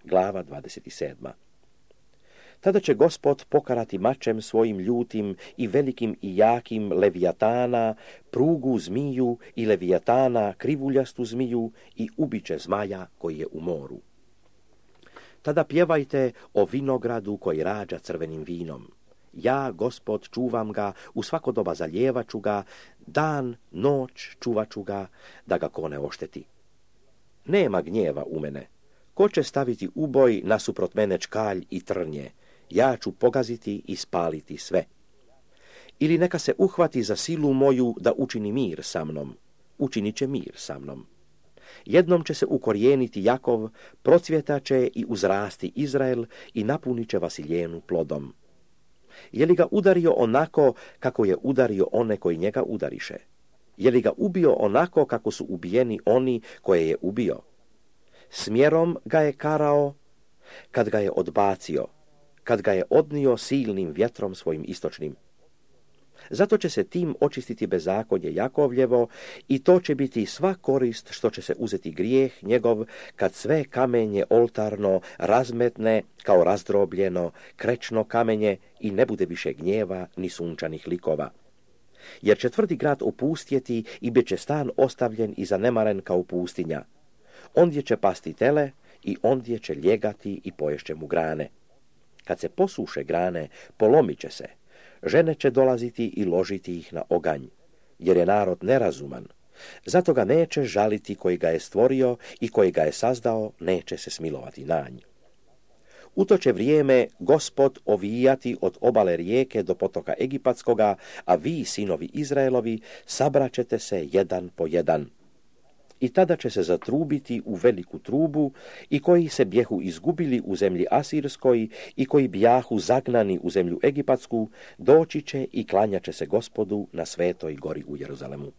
glava 27. Tada će Gospod pokarati mačem svojim ljutim i velikim i jakim Levijatana, prugu zmiju i Levijatana, krivuljastu zmiju i ubiće zmaja koji je u moru. Tada pjevajte o vinogradu koji rađa crvenim vinom. Ja, Gospod, čuvam ga, u svako doba zaljevaću ga, dan, noć čuvaću ga, da ga ko ne ošteti. Nema gnjeva u mene. Ko će staviti uboj nasuprot mene čkalj i trnje? Ja ću pogaziti i spaliti sve. Ili neka se uhvati za silu moju da učini mir sa mnom. Učinit će mir sa mnom. Jednom će se ukorijeniti Jakov, procvjetaće i uzrasti Izrael i napunit će Vasiljenu plodom. Je li ga udario onako kako je udario one koji njega udariše? Je li ga ubio onako kako su ubijeni oni koje je ubio? Smjerom ga je karao kad ga je odbacio, kad ga je odnio silnim vjetrom svojim istočnim. Zato će se tim očistiti bezakonje Jakovljevo i to će biti sva korist što će se uzeti grijeh njegov kad sve kamenje oltarno razmetne kao razdrobljeno krečno kamenje i ne bude više gnjeva ni sunčanih likova. Jer će tvrdi grad opustjeti i bit će stan ostavljen i zanemaren kao pustinja. Ondje će pasti tele i ondje će ljegati i poješće mu grane. Kad se posuše grane, polomit će se. Žene će dolaziti i ložiti ih na oganj, jer je narod nerazuman. Zato ga neće žaliti koji ga je stvorio i koji ga je sazdao, neće se smilovati na nj. U to će vrijeme Gospod ovijati od obale rijeke do potoka Egipatskoga, a vi, sinovi Izraelovi, sabraćete se jedan po jedan. I tada će se zatrubiti u veliku trubu i koji se bjehu izgubili u zemlji Asirskoj i koji bjahu zagnani u zemlju Egipatsku, doći će i klanjat će se Gospodu na svetoj gori u Jeruzalemu.